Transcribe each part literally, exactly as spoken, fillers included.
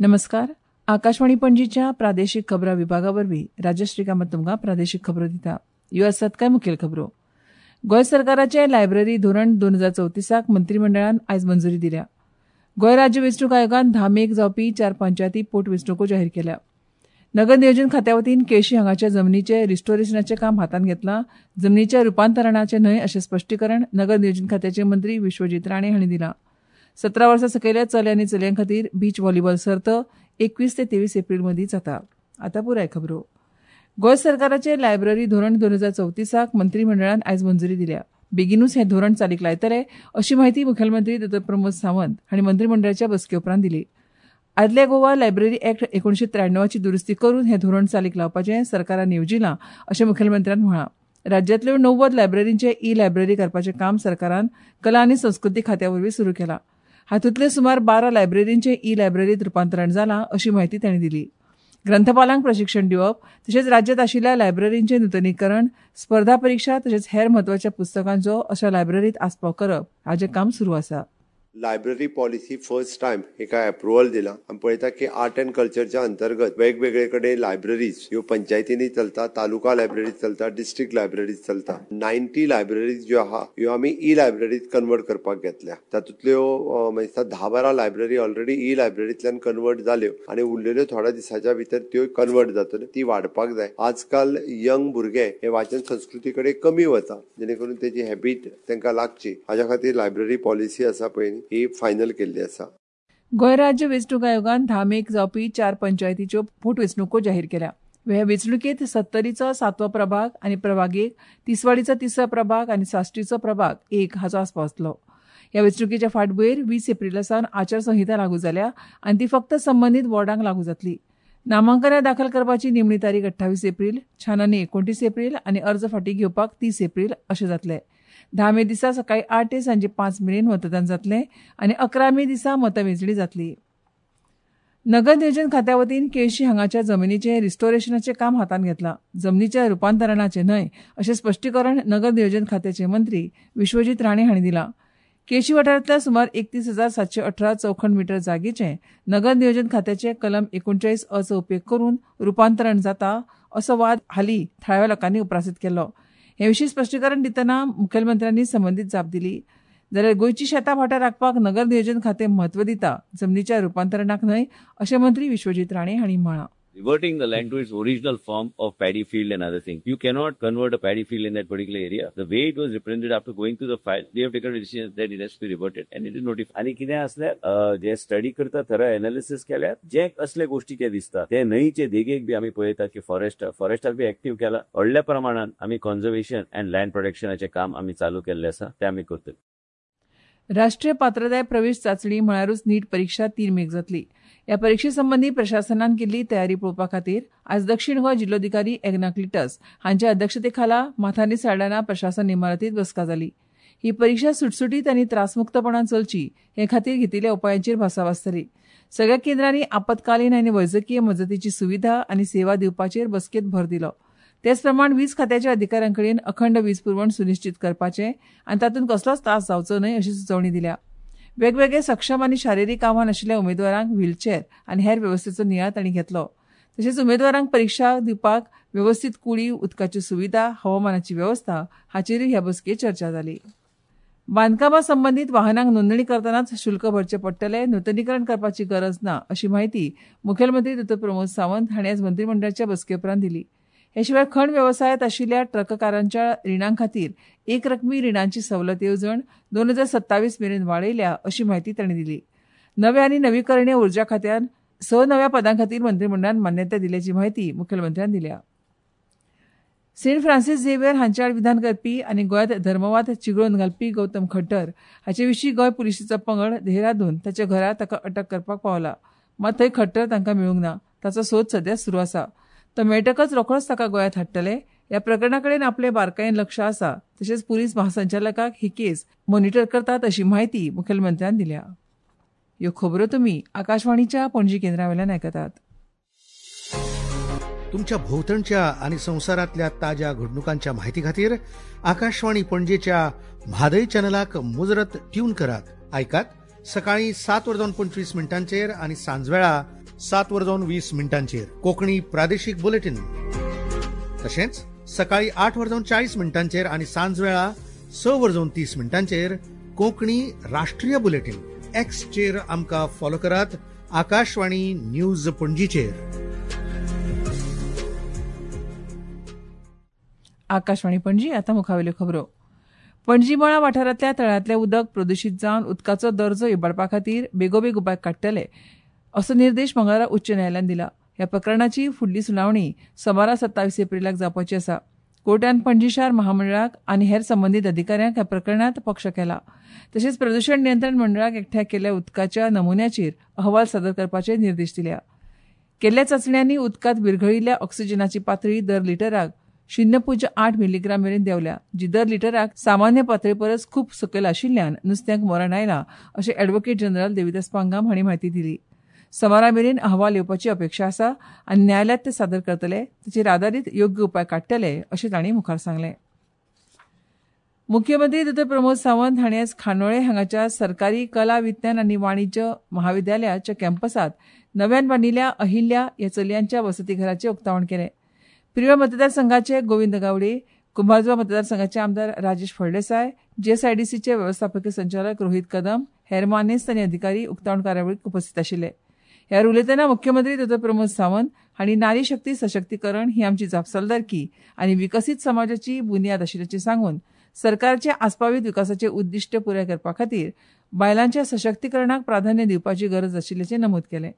नमस्कार. आकाशवाणी पणजीच्या प्रादेशीक खबरां विभागा वरवीं राजश्री कामत तुमकां प्रादेशीक खबरो दिता. ह्यो आसात कांय मुखेल खबरो. गोंय सरकाराचें लायब्ररी धोरण दोन हजार चवतीसाक मंत्रीमंडळान आयज मंजुरी दिल्या. गोंय राज्य वेंचणूक आयोगान धा मेक जावपी चार पंचायती पोटवेंचणुको जाहीर केल्या. नगर नियोजन खात्या वतीन केळशी हांगाच्या जमनीचें रिस्टोरेशनाचें काम हातांत घेतलां, जमनीच्या रुपांतरणाचें न्हय अशें स्पश्टीकरण नगर नियोजन खात्याचे मंत्री विश्वजीत राणे हांणी दिलां. सतरा वर्सां सकयल्या चले आनी चलयां खातीर बीच व्हॉलीबॉल सर्त एकवीस ते तेवीस एप्रील मदीं जाता. आतां पुराय खबरो. गोंय सरकाराचें लायब्ररी धोरण दोन हजार चवतीसाक मंत्रीमंडळान आयज मंजुरी दिल्या. बेगिनूच हें धोरण चालीक लायतले अशी म्हायती मुखेलमंत्री दोतोर प्रमोद सावंत हांणी मंत्रीमंडळाच्या बसके उपरांत दिली. आदल्या गोवा लायब्ररी ऍक्ट एकुणशे त्र्याण्णवाची दुरुस्ती करून हें धोरण चालीक लावपाचें सरकारान येवजिलां अशें मुखेलमंत्र्यान म्हळां. राज्यांतल्यो णव्वद लायब्ररींचें ई लायब्ररी करपाचें काम सरकारान कला आनी संस्कृती खात्या वरवीं सुरू केलां. हातूंतले सुमार बारा लायब्ररींचें ई लायब्ररींत रुपांतरण जालां अशी म्हायती तांणी दिली. ग्रंथपालांक प्रशिक्षण दिवप तशेंच राज्यांत आशिल्ल्या लायब्ररींचें नुतनीकरण, स्पर्धा परिक्षा तशेंच हेर म्हत्वाच्या पुस्तकांचो अशा लायब्ररींत आस्पाव करप हाचें काम सुरू आसा. लायब्ररी पॉलिसी फर्स्ट टायम हेका एप्रुवल दिला. आमी पळयता की आर्ट अँड कल्चरच्या अंतर्गत वेगवेगळे कडेन लायब्ररीज ह्यो पंचायतींनी चलता, तालुका लायब्ररीज चलता, डिस्ट्रिक्ट लायब्ररीज चलता. नायन्टी लायब्ररीज ज्यो आहा ह्यो आमी ई लायब्ररीत कन्वर्ट करपाक घेतल्या. तातूंतल्यो म्हणजे धा बारा लायब्ररी ऑलरेडी ई लायब्ररींतल्यान कन्वर्ट जाल्यो आनी उरलेल्यो थोड्या दिसाच्या भितर त्यो कन्वर्ट जातल्यो. ती वाडपाक जाय. आजकाल यंग भुरगे हे वाचन संस्कृती कडेन कमी वता, जेणे करून तेजी हॅबीट तांकां लागची हाज्या खातीर लायब्ररी पॉलिसी आसा पळय ही फायनल केल्ली आसा. गोंय राज्य वेंचणूक आयोगान धा मेक जावपी चार पंचायतीच्यो पोटवेंचणुको जाहीर केल्या. ह्या वेंचणुकेंत सत्तरीचो सातवो प्रभाग आनी प्रभाग एक, तिसवाडीचो तिसरो प्रभाग आनी साश्टीचो प्रभाग एक हाचो आस्पाव आसलो. ह्या वेंचणुकेच्या फाटभुंयेर वीस एप्रिला सावन आचारसंहिता लागू जाल्या आनी ती फक्त संबंदीत वॉर्डांक लागू जातली. नामांकनां दाखल करपाची निमणी तारीख अठ्ठावीस एप्रील, छाननी एकोणतीस एप्रील आनी अर्ज फाटीं घेवपाक तीस एप्रील अशें जातलें. धा मे दिसा सकाळी आठ ते सांजे पांच मेरेन मतदान जातलें आनी अकरा मे दिसा मतमेजणी जातली. नगर नियोजन खात्या वतीन केळशी हांगाच्या जमनीचें रिस्टोरेशनाचें काम हातांत घेतलां, जमनीच्या रुपांतरणाचें न्हय अशें स्पश्टीकरण नगर नियोजन खात्याचे मंत्री विश्वजीत राणे हांणी दिलां. केळशी वाठारांतल्या सुमार एकतीस हजार सातशे अठरा चौखण मिटर जागेचें नगर नियोजन खात्याचे कलम एकोणचाळीस अ चो उपेग करून रुपांतरण जाता असो वाद हालीं थळाव्या लोकांनी उप्रासीत केल्लो. हे विशीं स्पश्टीकरण दितना मुखेलमंत्र्यांनी संबंदीत जाप दिली. जाल्यार गोंयची शेतां भाटां राखपाक नगर नियोजन खातें म्हत्व दिता, जमनीच्या रुपांतरणाक न्हय अशें मंत्री विश्वजीत राणे हांणी म्हळां. Reverting the land to its original form of paddy field and other things. You cannot convert a paddy field in that particular area. The way it was represented after going through the file, they have taken a decision that it has to be reverted and it is notified. आनी कितें आसल्यार जे study करता, थरा analysis केल्यार जे असले गोष्टी जे दिसता ते न्हंयचे देगेक बी आमी पळयता की फॉरेस्ट फॉरेस्टाक बी एक्टीव केला. व्हडल्या प्रमाणान आमी कॉन्झर्वेशन अँड लँड प्रोटेक्शनाचें काम आमी चालू केल्लें आसा, तें आमी करतले. राष्ट्रीय पात्रताय प्रवेश चांचणी म्हळ्यारूच नीट परिक्षा तीन मेक जातली. ह्या परिक्षे संबंदी प्रशासनान केल्ली तयारी पळोवपा खातीर आज दक्षिण गोंय जिल्लोधिकारी एग्ना क्लिटस हांच्या अध्यक्षतेखाला माथानी साल्डाना प्रशासन इमारतींत बसका जाली. ही परिक्षा सुटसुटीत आनी त्रासमुक्तपणान चलची हे खातीर घेतिल्ल्या उपायांचेर भासाभास जाली. सगळ्या केंद्रांनी आपत्कालीन आनी वैजकीय मजतीची सुविधा आनी सेवा दिवपाचेर बसकेंत भर दिलो. तेच प्रमाण वीज खात्याच्या अधिकाऱ्यांकडेन अखंड वीज पुरवण सुनिश्चित करपाचें आनी तातूंत कसलोच त्रास जावचो न्हय अशी सुचोवणी दिल्या. वेगवेगळे सक्षम आनी शारिरीक आव्हान आशिल्ल्या उमेदवारांक व्हीलचेर आनी हेर वेवस्थेचो नियाळ तांणी घेतलो. तशेंच उमेदवारांक परिक्षा दिवपाक वेवस्थीत कुडी, उदकाच्यो सुविधा, हवामानाची वेवस्था हाचेरूय ह्या बसकेंत चर्चा जाली. बांदकामा संबंदीत वाहनांक नोंदणी करतनाच शुल्क भरचें पडटलें, नुतनीकरण करपाची गरज ना अशी म्हायती मुखेलमंत्री दोतोर प्रमोद सावंत हांणी आज मंत्रीमंडळाच्या बसके उपरांत दिली. हे शिवाय खण वेवसायांत आशिल्ल्या ट्रककारांच्या रिणां खातीर एक रकमी रिणांची सवलत येवजण दोन हजार सत्तावीस मेरेन वाडयल्या अशी म्हायती तांणी दिली. नव्या आनी नवीकरणीय उर्जा खात्यान स नव्या पदां खातीर मंत्रीमंडळान मान्यताय दिल्याची म्हायती मुखेलमंत्र्यान दिल्या. सेंट फ्रांसीस झेवियर हांचे आड विधान करपी आनी गोंयांत धर्मवाद चिगळोवन घालपी गौतम खट्टर हाचे विशीं गोंय पुलिशेचो पंगड देहरादून ताच्या घरा ताका अटक करपाक पावला. मात थंय खट्टर तांकां मेळूंक ना. ताचो सोद सध्या सुरू आसा. तो मेळटकच रोखडोच ताका गोंयांत हाडटले. ह्या प्रकरणा कडेन आपले बारकायेन लक्ष आसा. तशेंच पुलीस महासंचालकाक ही केस मॉनिटर करतात अशी म्हायती मुखेलमंत्र्यान दिल्या. ह्यो खबरो तुमी आकाशवाणीच्या पणजी केंद्रावेल्यान आयकतात. तुमच्या भोवतणच्या आणि संवसारांतल्या ताज्या घडणुकांच्या माहिती खातीर आकाशवाणी पणजेच्या म्हादय चॅनलाक मुजरत ट्यून करात. आयकात सकाळी सात वरां पंचवीस मिनटांचेर आणि सांजवेळा सात वर जावन वीस मिनटांचेर कोंकणी प्रादेशीक बुलेटीन, तशेंच सकाळी आठ वर जावन चाळीस मिनटांचेर आनी सांजवेळा स वर जावन तीस मिनटांचेर कोंकणी राष्ट्रीय बुलेटीन. एक्सचेर आमकां फॉलो करात आकाशवाणी न्यूज पणजीचेर. आकाशवाणी पणजी. आतां मुखावेल्यो खबरो. पणजी मळा वाठारांतल्या तळ्यांतलें उदक प्रदुशीत जावन उदकाचो दर्जो इबाडपा खातीर बेगोबेग उपाय काडटले असो निर्देश मंगळारा उच्च न्यायालयान दिला. ह्या प्रकरणाची फुडली सुनावणी सोमारा सत्तावीस एप्रिलाक जावपाची आसा. कोर्टान पणजी शार महामंडळाक आनी हेर संबंदीत अधिकाऱ्यांक ह्या प्रकरणांत पक्ष केला. तशेंच प्रदूशण नियंत्रण मंडळाक एकठांय केल्ल्या उदकाच्या नमुन्याचेर अहवाल सादर करपाचे निर्देश दिल्या. केल्ल्या चांचण्यांनी उदकांत विरघळिल्ल्या ऑक्सिजनाची पातळी दर लिटराक शून्य पूज्य आठ मिलीग्राम मेरेन देंवल्या, जी दर लिटराक सामान्य पातळे परस खूब सकयल आशिल्ल्यान नुस्त्यांक मरण आयलां अशें ॲडव्होकेट जनरल देविदास पांगाम हांणी म्हायती दिली. सोमारा मेरेन अहवाल येवपाची अपेक्षा आसा आनी न्यायालयांत ते सादर करतले, ताचेर आदारीत योग्य उपाय काडटले अशें तांणी मुखार सांगलें. मुख्यमंत्री डॉ प्रमोद सावंत हांणी आयज खांडोळे हांगाच्या सरकारी कला विज्ञान आनी वाणिज्य महाविद्यालयाच्या कॅम्पसांत नव्यान बांदिल्ल्या अहिल्या ह्या चलयांच्या वसतीघराचें उक्तावण केलें. पिरवेळ मतदारसंघाचे गोविंद गावडे, कुंभारजुवा मतदारसंघाचे आमदार राजेश फळदेसाय, जीएसआयडीसीचे वेवस्थापकीय संचालक रोहित कदम, हेर मानेस्त आनी अधिकारी उक्तावण कार्यावळीक उपस्थित आशिल्ले. ह्या उलयतना मुख्यमंत्री डॉ प्रमोद सावंत हांणी नारी शक्ती सशक्तीकरण ही आमची जापसालदारकी आनी विकसीत समाजाची बुन्याद आशिल्ल्याचें सांगून सरकारचे आस्पावीत विकासाचे उद्दिश्ट पुराय करपा खातीर बायलांच्या सशक्तीकरणाक प्राधान्य दिवपाची गरज आशिल्ल्याचें नमूद केलें.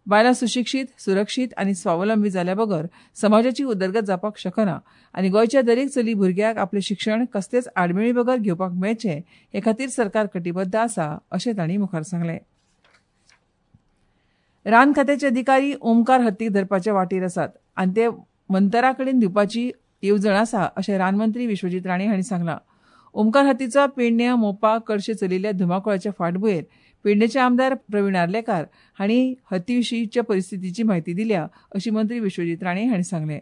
बायलां सुशिक्षीत, सुरक्षीत आनी स्वावलंबी जाल्या बगर समाजाची उदरगत जावपाक शकना आनी गोंयच्या दरेक चली भुरग्याक आपलें शिक्षण कसलेच आडमेळी बगर घेवपाक मेळचें हे खातीर सरकार कटिबद्ध आसा अशें तांणी मुखार सांगलें. रान खात्याचे अधिकारी ओमकार हत्तीक धरपाच्या वाटेर आसात आनी ते मंतरा कडेन दिवपाची येवजण आसा अशें रानमंत्री विश्वजीत राणे हांणी सांगलां. ओमकार हत्तीचो पेडण्या, मोपा, कडशे चलिल्ल्या धुमाकुळाच्या फाटभुंयेर पेडणेचे आमदार प्रवीण आर्लेकार हांणी हत्ती विशींच्या परिस्थितीची म्हायती दिल्या अशी मंत्री विश्वजीत राणे हांणी सांगलें.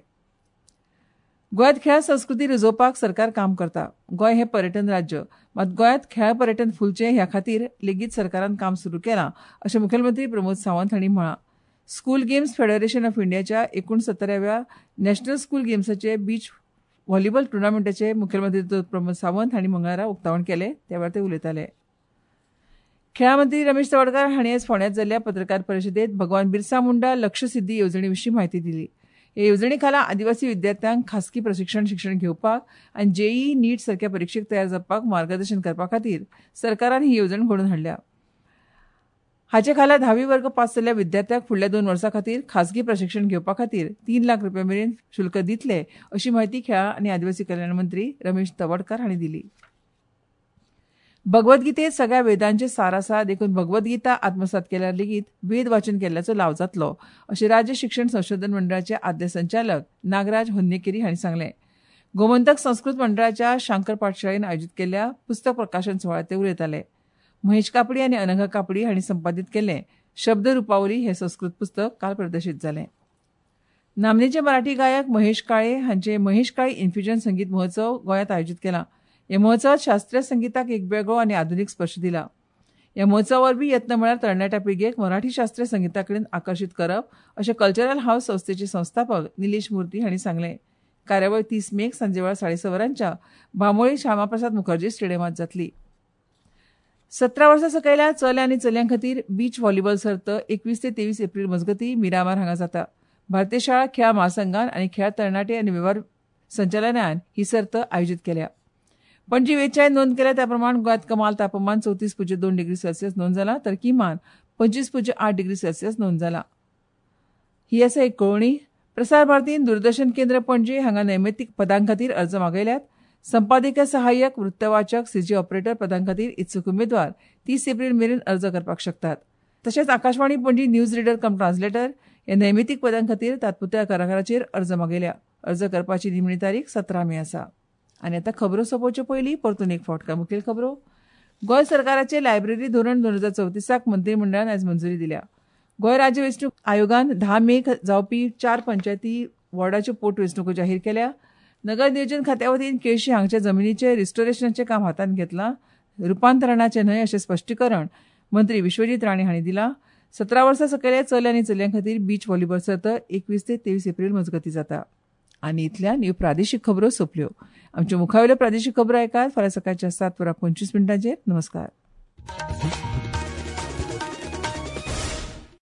गोंयांत खेळां संस्कृती रुजोवपाक सरकार काम करता. गोंय हें पर्यटन राज्य, मात गोंयांत खेळां पर्यटन फुलचें ह्या खातीर लेगीत सरकारान काम सुरू केलां अशें मुखेलमंत्री प्रमोद सावंत हांणी म्हळां. स्कूल गेम्स फेडरेशन ऑफ इंडियाच्या एकुणसत्तराव्या नॅशनल स्कूल गेम्साचे बीच व्हॉलीबॉल टुर्नामेंटाचे मुखेलमंत्री प्रमोद सावंत हांणी मंगळारा उक्तावण केलें. त्या वेळार ते उलयताले. खेळां मंत्री रमेश तवडकार हांणी आयज फोंड्यांत जाल्ल्या पत्रकार परिशदेंत भगवान बिरसा मुंडा लक्षसिद्धी येवजणे विशीं म्हायती दिली. हे येवजणे खाला आदिवासी विद्यार्थ्यांक खासगी प्रशिक्षण शिक्षण घेवपाक आनी जेईई नीट सारक्या परिक्षेक तयार जावपाक मार्गदर्शन करपा खातीर सरकारान ही येवजण घडोवन हाडल्या. हाचे खाला धावी वर्ग पास जाल्ल्या विद्यार्थ्यांक फुडल्या दोन वर्सां खातीर खासगी प्रशिक्षण घेवपा खातीर तीन लाख रुपया मेरेन शुल्क दितले अशी म्हायती खेळां आनी आदिवासी कल्याण मंत्री रमेश तवडकार हांणी दिली. भगवद्गीतेत सगळ्या वेदांचे सार आसा देखून भगवद्गीता आत्मसात केल्यार लेगीत वेद वाचन केल्ल्याचो लाव जातलो अशें राज्य शिक्षण संशोधन मंडळाचे आदले संचालक नागराज होन्नेकेरी हांणी सांगलें. गोमंतक संस्कृत मंडळाच्या शांकर पाठशाळेन आयोजीत केल्ल्या पुस्तक प्रकाशन सुवाळ्यांत ते उलयताले. महेश कापडी आनी अनघा कापडी हांणी संपादीत केल्लें शब्द रुपावली हें संस्कृत पुस्तक काल प्रदर्शीत जालें. नामनेचे मराठी गायक महेश काळे हांचे महेश काळे इन्फ्युजन संगीत महोत्सव गोंयांत आयोजीत केला. ह्या महोत्सवात शास्त्रीय संगीताक एक वेगळो आनी आधुनीक स्पर्श दिला. ह्या महोत्सवा वरवीं यत्न म्हळ्यार तरणाट्या पिळगेक मराठी शास्त्रीय संगीता कडेन आकर्शीत करप अशें कल्चरल हावस संस्थेचे संस्थापक निलेश मूर्ती हांणी सांगलें. कार्यावळ तीस मेक सांजेवेळार साडे स वरांच्या बांबोळी श्यामाप्रसाद मुखर्जी स्टेडियमांत जातली. सतरा वर्सां सकयल्या चल्या आनी चलयां खातीर बीच व्हॉलीबॉल सर्त एकवीस ते तेवीस एप्रील मजगतीं मिरामार हांगा जाता. भारतीय शाळा खेळां महासंघान आनी खेळां तरणाटे आनी वेव्हार संचालनालयान ही सर्त आयोजीत केल्या. पणजी वेचाय नोंद केल्या त्या प्रमाण गोंयांत कमाल तापमान चवतीस पुज्य दोन डिग्री सेल्सियस नोंद जाला, तर किमान पंचवीस पुज्य आठ डिग्री सेल्सियस नोंद जाला. ही आसा एक कळोवणी. प्रसार भारतीन दूरदर्शन केंद्र पणजी हांगा नैमित्तीक पदां खातीर अर्ज मागयल्यात. संपादकीय सहाय्यक, वृत्तवाचक, सीजी ऑपरेटर पदां खातीर इत्सूक उमेदवार तीस एप्रील मेरेन अर्ज करपाक शकतात. तशेंच Akashvani Panaji news reader cum translator ह्या नैमित्तीक पदां खातीर तात्पुरत्या कराराचेर अर्ज मागयल्या. अर्ज करपाची निमणी तारीख सतरा मे आसा. आनी आतां खबरो सोंपोवच्यो पयलीं परतून एक फावट काय मुखेल खबरो. गोंय सरकाराचें लायब्ररी धोरण दोन हजार चवतीसाक मंत्रीमंडळान आयज मंजुरी दिल्या. गोंय राज्य वेंचणूक आयोगान धा मेक जावपी चार पंचायती वॉर्डाच्यो पोटवेंचणुको जाहीर केल्या. नगर नियोजन खात्या वतीन केळशी हांगच्या जमिनीचें रिस्टोरेशनाचें काम हातांत घेतलां, रुपांतरणाचें न्हय अशें स्पश्टीकरण मंत्री विश्वजीत राणे हांणी दिलां. सतरा वर्सां सकयल्या चले आनी चलयां खातीर बीच व्हॉलीबॉल सर्त एकवीस ते तेवीस एप्रील मजगतीं जाता. आनी इतल्यान ह्यो प्रादेशीक खबरो सोंपल्यो. आमच्यो मुखावेल्यो प्रादेशीक खबरो आयकात फाल्यां सकाळच्या सात वरां पंचवीस मिनटांचेर. नमस्कार.